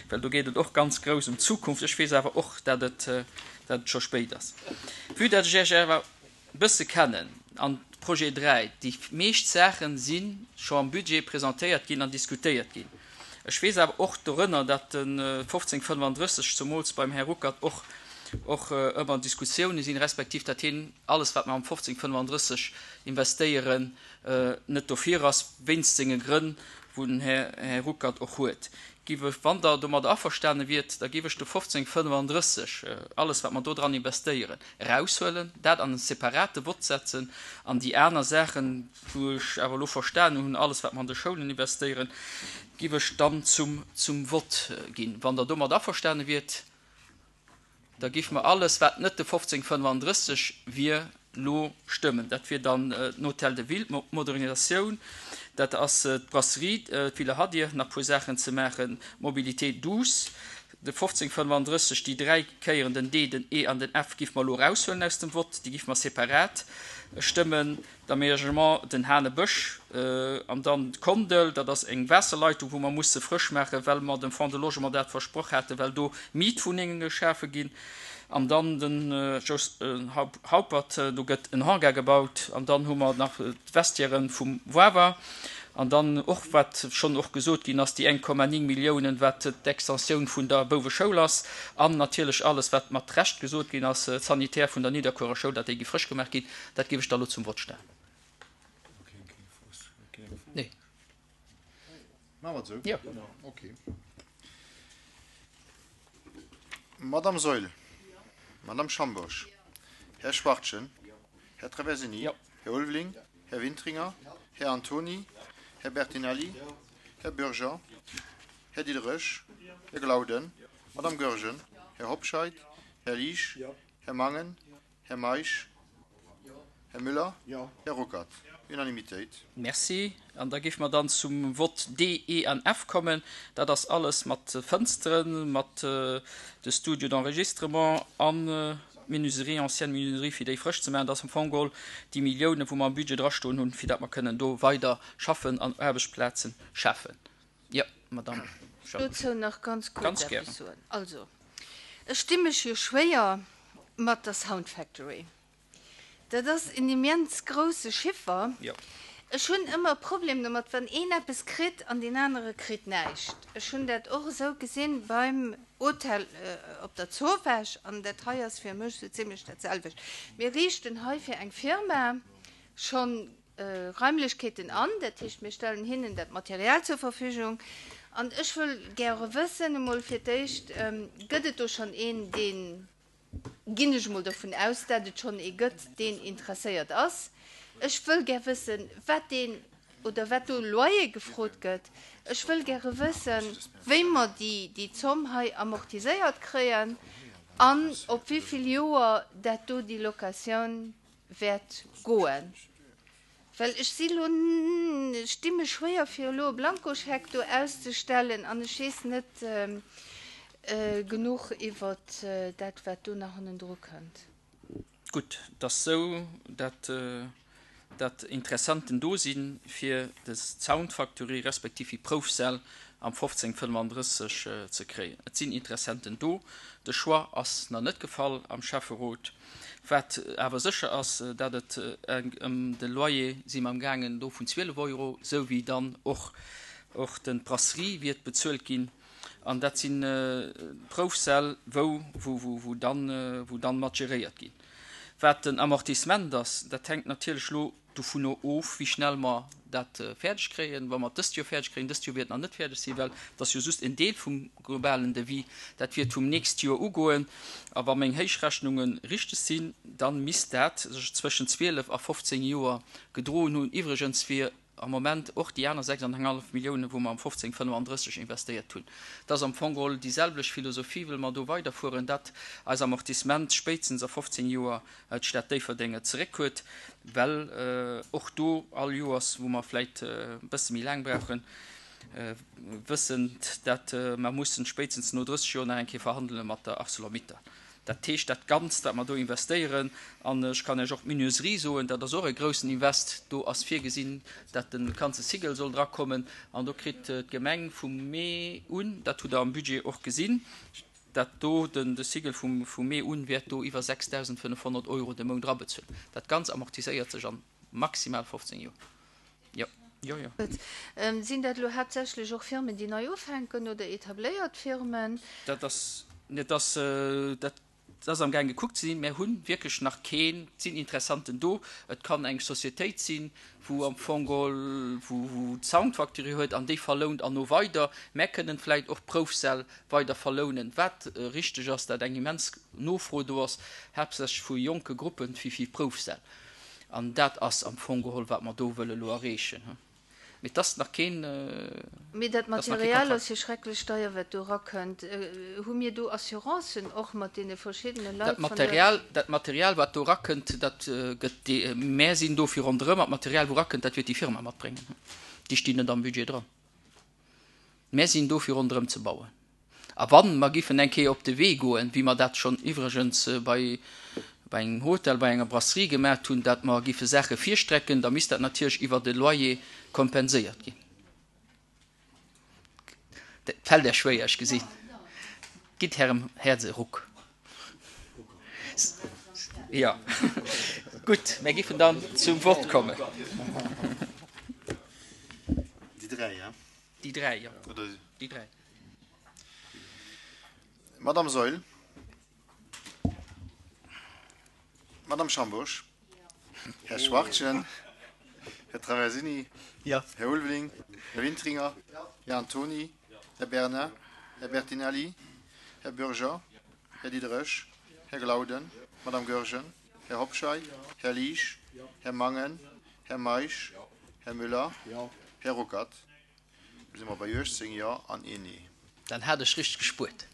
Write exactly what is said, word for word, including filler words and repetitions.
Well do geet et och ganz grouss ëm d'Zukunft. Ech weess awer och, dat et, dat et scho spéit ass. Vue dat ech Iech awer e bësse kennen an Projet dräi, déi meescht Saache si scho am Budget presentéiert ginn an diskutéiert ginn. Ech weess awer och dorënner, dat de fofzéng fënnefandrësseg zemools beim Här Ruckert och, och ëmmer Diskussiounen sinn, respektiv dat hien alles, wat mer am fofzéng fënnefandrësseg investéieren, net dofir ass, wéinst senge Grënn, wou den Här, Här Ruckert och huet. Giff ech, wann Der domadder averstane wiert, da giff ech de fofzéng fënnefandrësseg, alles wat mer do dran investéieren, eraushuelen, dat an e separate Vott setzen an déi aner Saachen, wou ech awer elo verstanen hunn, alles wat mer an de Schoulen investéieren, giff ech dann zum, zum Vott ginn. Wann Der domat averstane wiert, da giff mer alles, wat net de fofzéng fënnefandrësseg wier, lo stëmmen. Dat wier dann den Hôtel de Ville, d'Modernisatioun, dat ass d'Brasserie, d'Villa Hadir, nach puer Saachen ze maachen, d'Mobilité douce, de fofzéng fënnefandrësseg, déi dräi Kéieren den D, den E an den F giff mer elo eraushuelen aus dem Vott, déi giff mer separat stëmmen, d'Aménagement, den Hanebësch an dann d'Kondel, dat ass eng Waasserleitung, wou mer musse frësch maachen, well mer dem Fonds de Logement dat versproch haten, well do Mietwunnenge geschafe ginn. An dann den Jos Haupert, do gëtt en Hangar gebaut. An dann hu mer nach d'Vestiairen vum Wawer. An dann och, wat schonn och gesot ginn ass, déi eng Komma néng Milliounen, wat d'Extensioun vun der Bouweschoul ass. An natierlech alles, wat mat Recht gesot ginn ass, d'Sanitaire vun der Nidderkuerer Schoul, datt déi gi frësch gemaach ginn. Dat géif ech da elo zum Vott stellen. Nee. Maache mer et esou? Jo. Okay. Madame Saeul. Madame Schambourg. Här Schwachtgen. Här Traversini. Här Ulveling. Här Wintringer. Här Antony. Här Bertinelli. Här Bürger. Här Diderich. Här Glauden. Madame Goergen. Här Hobscheit. Här Liesch. Här Mangen. Här Meisch. Här Müller. Här Ruckert. Unanimitéit. Merci. An da géife mer dann zum Vott D, E an F kommen. Dat ass alles mat Fënsteren, mat de Studio d'enregistrement an d'Menuiserie, ancienne Menuiserie, fir déi frësch ze maachen. Dat ass am Fong geholl déi Milliounen, wou mer am Budget drastoen hunn, fir dat mer kënnen do weider schaffen an Aarbechtsplaze schafen. Jo, Madamm Schambourg. Dozou nach ganz kuerz eppes soen. Also, ech di mech jo schwéier mat der Sound Factory. Dat ass en immens grousse Chiffer. Ech hunn ëmmer e Problem domat, wann een eppes kritt an deen anere kritt näischt. Ech hunn dat och esou gesinn beim Hotel op der Zowaasch an dat hei ass fir mech esou zimlech dat selwecht. Mir riichten hei fir eng Firma scho Raimlechkeeten an, dat heescht mir stellen hinnen dat Material zur Verfügung. An ech wëll gäre wëssen, emol fir d'éischt, Gëtt et do schonn een, deen ginn ech emol dovun aus, dat et schonn ee gëtt, deen interesséiert ass. Ech wëll gär wëssen, wat deen oder wat do Loyer gefrot gëtt. Ech wëll gäre wëssen, wéi mer déi, déi Zomm hei amortiséiert kréien an op wéi vill Joer dat do déi Locatioun wäert goen. Well ech si lo, ech di mech schwéier fir elo e Blankoscheck do auszestellen an ech weess net genuch iwwert dat wat do nach hannendru kënnt. Gutt, et ass sou, dat dat Interessenten do si fir des Soundfactory respektiv déi Proufsäll am fofzéng fënnefandrësseg ze kréien. Et sinn Interessenten do. De Choix ass nach net gefall am Schäfferot. Wat awer sécher ass, dat et ëm de Loyer si mer am gaangen do vun zwielef Euro, sou wéi dann och och den d'Brasserie wiert bezuelt ginn. An dat si Proufsäll, wou wou wou dann wou dann mat geréiert ginn. Wat den Amortissement ass, dat hänkt natierlech elo dovunner of, wéi schnell mer dat fäerdeg kréien. Wa mer et dëst Joer fäerdeg kréien, dëst Joer wäert et nach net fäerdeg sinn, well et ass jo just en Deel vum globalen Devis, dat wäert vum nächst Joer ugoen. A wa meng Héichrechnunge richteg sinn, da misst dat sech zwëschen zwielef a fofzéng Joer gedroen hunn. Iwwregens wier am Moment och déi aner sechs an eng hallef Milliounen, wou mer am fofzéng fënnefandrësseg investéiert hunn. Et ass am Fong geholl déi selwecht Philosophie, wëlle mer do weiderfueren, dat eis Amortissement spéitstens a fofzéng Joer d'Stad Déifferdeng et zeréck huet, well och do all Joers, wou mer vläit e bësse méi laang brauchen, wëssend, dat mer mussen spéitstens no drësseg Joer nach eng Kéier verhandele mat der Arcelor-Mittal. Dat heescht, dat Ganzt, wat mer do investéieren, an ech kann Iech och d'Menuiserie soen, dat ass och e groussen Invest, do ass virgesinn, dat de ganze Sigel soll drakommen an do kritt d'Gemeng vum Mee un, dat hutt Der am Budget och gesinn, dat do den de Sigel vum vum Mee un wäert do iwwer sechsdausendfënnefhonnert Euro de Mount erabezuelen. Dat Ganzt amortiséiert sech an maximal fofzéng Joer. Jo, jo, jo. Sinn dat elo haaptsächlech och Firmen, déi nei ufänken oder etabléiert Firmen? Dat ass, dat ass, dat ass amgaang gekuckt ze sinn. Mär hu wierklech nach keen. Et sinn Interessanten do. Et kann eng Societéit sinn, wou am Fong geholl, wou, wou d'Soundfactory huet an déi verlount an no weider. Mär kënnen vläicht och Proufsäll weider verlounen. Wat richteg ass, dat eng immens Nofro do ass, haaptsächlech vu jonke Gruppen, fir, fir Proufsäll. An dat ass am Fong geholl, wat mer do wëlle elo erreechen. Mee et ass nach keen, Mee dat et ass nach kee Material Kontrakt. ass jo schrecklech deier, wat do erakënnt. Hu mir do Assurancen och mat deene verschiddene Dat Leit vun der. Material, dat Material, wat do erakënnt, dat gëtt déi, mär sinn do fir ronderëm, an d'Material, wou erakënnt, dat wäert déi Firma matbréngen. Déi stinn net am Budget dran. Mär sinn do fir ronderëm ze bauen. A wann mer giffen eng Kéier op de Wee goen, wéi mer dat schonn iwwregens bei bei engem Hotel, bei enger Brasserie gemaacht hunn, dat mer giffe Saache virstrecken, da misst dat natierlech iwwer de Loyer kompenséiert ginn. Dat fält Iech schwéier, ech gesinn. Gitt Ärem Häerz e Ruck. Jo. Gutt, mir giffen dann zum Vott kommen. Déi dräi, ja? Déi dräi, jo. Oder? Déi dräi. Madame Saeul. Madame Schambourg. Här Schwachtgen. Här Traversini. Ja. Här Ulveling. Här Wintringer. Här Antoni. Här Bernard. Här Bertinelli. Här Bürger. Här Diderich. Här Glauden. Madame Goergen. Här Hobscheit. Här Liesch. Här Mangen. Här Meisch. Här Müller. Här Ruckert. Do si mer bei uechtzéng Jo an een Nee. Dann hat ech richteg gespuert.